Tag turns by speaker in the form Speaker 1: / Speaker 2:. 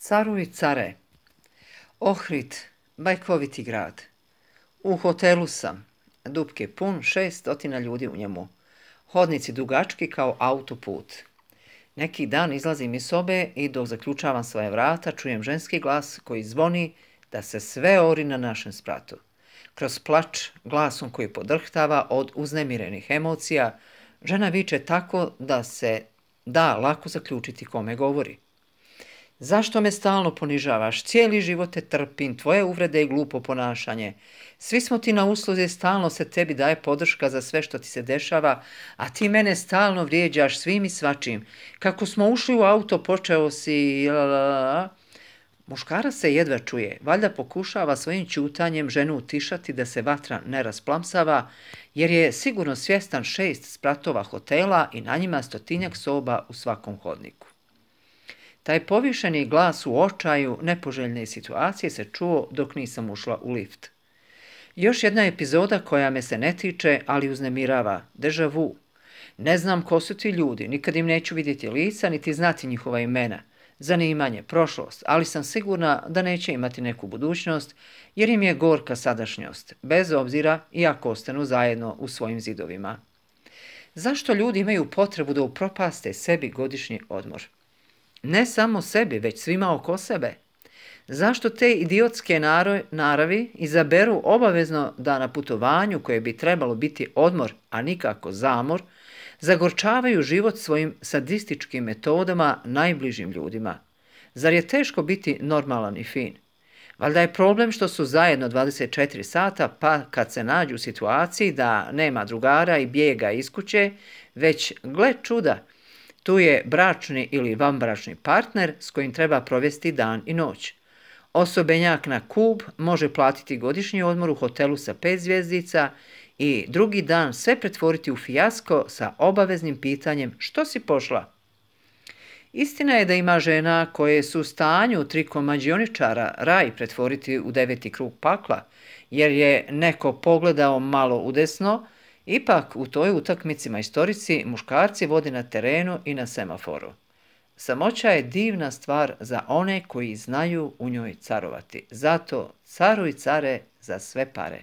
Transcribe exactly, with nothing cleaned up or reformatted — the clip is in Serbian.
Speaker 1: Caruj care. Ohrid, bajkoviti grad. U hotelu sam. Dupk je pun, šest stotina ljudi u njemu. Hodnici dugački kao autoput. Neki dan izlazim iz sobe i dok zaključavam svoje vrata čujem ženski glas koji zvoni da se sve ori na našem spratu. Kroz plač, glasom koji podrhtava od uznemirenih emocija, žena viče tako da se da lako zaključiti kome govori. Zašto me stalno ponižavaš? Cijeli život te trpim, tvoje uvrede i glupo ponašanje. Svi smo ti na usluzi, stalno se tebi daje podrška za sve što ti se dešava, a ti mene stalno vrijeđaš svim i svačim. Kako smo ušli u auto, počeo si... Muškarac se jedva čuje, valjda pokušava svojim ćutanjem ženu utišati da se vatra ne rasplamsava, jer je sigurno svjestan šest spratova hotela i na njima stotinjak soba u svakom hodniku. Taj povišeni glas u očaju nepoželjne situacije se čuo dok nisam ušla u lift. Još jedna epizoda koja me se ne tiče, ali uznemirava, deja vu. Ne znam ko su ti ljudi, nikad im neću vidjeti lica, niti znati njihova imena, zanimanje, prošlost, ali sam sigurna da neće imati neku budućnost, jer im je gorka sadašnjost, bez obzira i ako ostanu zajedno u svojim zidovima. Zašto ljudi imaju potrebu da upropaste sebi godišnji odmor? Ne samo sebi, već svima oko sebe. Zašto te idiotske naravi izaberu obavezno da na putovanju koje bi trebalo biti odmor, a nikako zamor, zagorčavaju život svojim sadističkim metodama najbližim ljudima? Zar je teško biti normalan i fin? Valjda je problem što su zajedno dvadeset četiri sata, pa kad se nađu u situaciji da nema drugara i bijega iz kuće, već, gle čuda, tu je bračni ili vanbračni partner s kojim treba provesti dan i noć. Osobenjak na kub može platiti godišnji odmor u hotelu sa pet zvjezdica i drugi dan sve pretvoriti u fijasko sa obaveznim pitanjem što si pošla. Istina je da ima žena koje su u stanju trikom mađioničara raj pretvoriti u deveti krug pakla, jer je neko pogledao malo udesno. Ipak u toj utakmici majstorici muškarci vode na terenu i na semaforu. Samoća je divna stvar za one koji znaju u njoj carovati. Zato caruj care za sve pare.